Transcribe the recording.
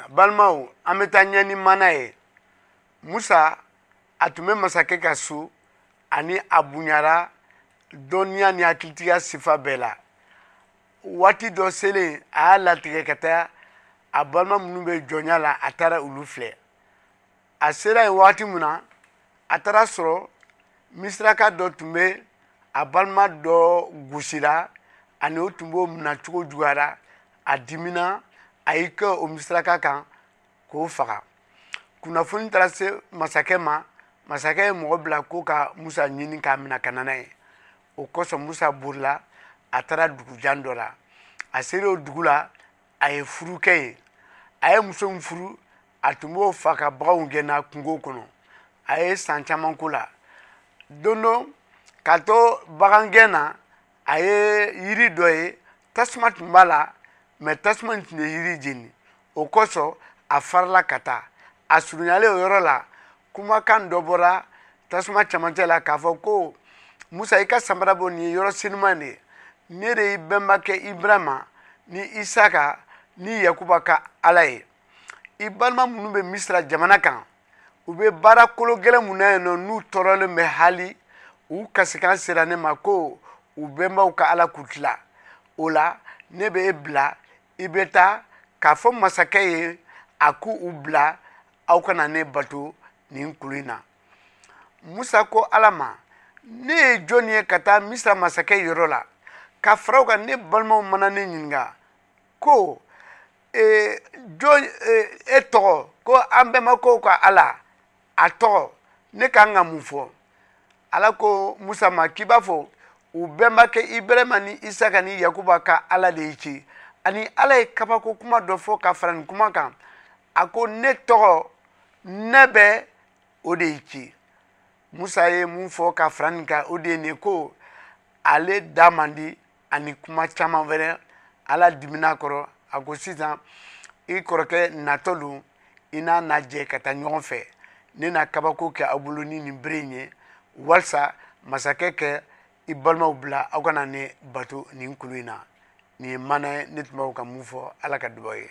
Balimaw, an bɛ taa ɲɛ ni mana ye. Musa, a tun bɛ masakɛ ka so, ani a bonyara dɔnniya ni hakilitigiya sifa bɛɛ la. Waati dɔ selen, a y'a latigɛ ka taa a balima minnu bɛ jɔnya la, a taara olu filɛ. A sera yen waati min na, a taara sɔrɔ Misiraka dɔ tun bɛ a balima dɔ gosira, ani o tun b'o minɛ cogo juguyara. A dimina, a y'i kɛ o Misiraka kan k'o faga. Kunnafoni taara se masakɛ ma. Masakɛ ye mɔgɔ bila ko ka Musa ɲini k'a minɛ ka na n'a ye. O kosɔn Musa bolila, a taara dugujan dɔ la. A sera o dugu la, a ye furu kɛ yen. A ye muso min furu, a tun b'o fa ka baganw gɛnna kungo kɔnɔ. A ye san caman ko la. Don dɔ, k'a to bagangɛn na, a ye yiri dɔ ye, tasuma tun b'a la, mɛ tasuma in tun ye yiri jeni. O kosɔn a farala ka taa. A surunyalen o yɔrɔ la, kumakan dɔ bɔra tasuma cɛmancɛ la k'a fɔ ko Musa, i ka samara bɔ, nin ye yɔrɔ senuman de ye. Ne de y'i bɛnbakɛ Ibrahima ni Isaka ni Yakuba ka Ala ye. I balima minnu bɛ Misira jamana kan, u bɛ baara kolo gɛlɛn mun na yen nɔ, n'u tɔɔrɔlen bɛ hali, u kasikan sera ne ma ko u bɛnbaw ka Ala k'u tila. O la, ne bɛ e bila, i bɛ taa k'a fɔ masakɛ ye a k'u bila aw kana ne bato nin kulu in na. Musa ko Ala ma, ne ye jɔn ye ka taa Misira masakɛ yɔrɔ la, ka fara o kan ne balimaw mana ne ɲininka ko jɔn e tɔgɔ, ko an bɛnbakɛw ka Ala a tɔgɔ, ne ka kan ka mun fɔ? Ala ko Musa ma k'i b'a fɔ u bɛnbakɛ Ibrahima ni Isaka ni Yakuba ka Ala de y'i ci. Ani Ala ye kabako kuma dɔ fɔ ka fara nin kuma kan. A ko ne tɔgɔ, ne bɛ o de y'i ci. Musa ye mun fɔ ka fara nin kan, o de ye nin ye ko ale da man di ani kuma caman wɛrɛ. Ala dimina kɔrɔ, a ko sisan i kɔrɔkɛ natɔ don, i n'a na jɛ ka taa ɲɔgɔn fɛ. Ne na kabako kɛ aw bolo ni nin bere in ye, walisa masakɛ kɛ i balimaw bila aw kana ne bato nin kulu in na. Nin ye mana ye, ne tun b'aw ka mun fɔ. Ala ka dubaw ye.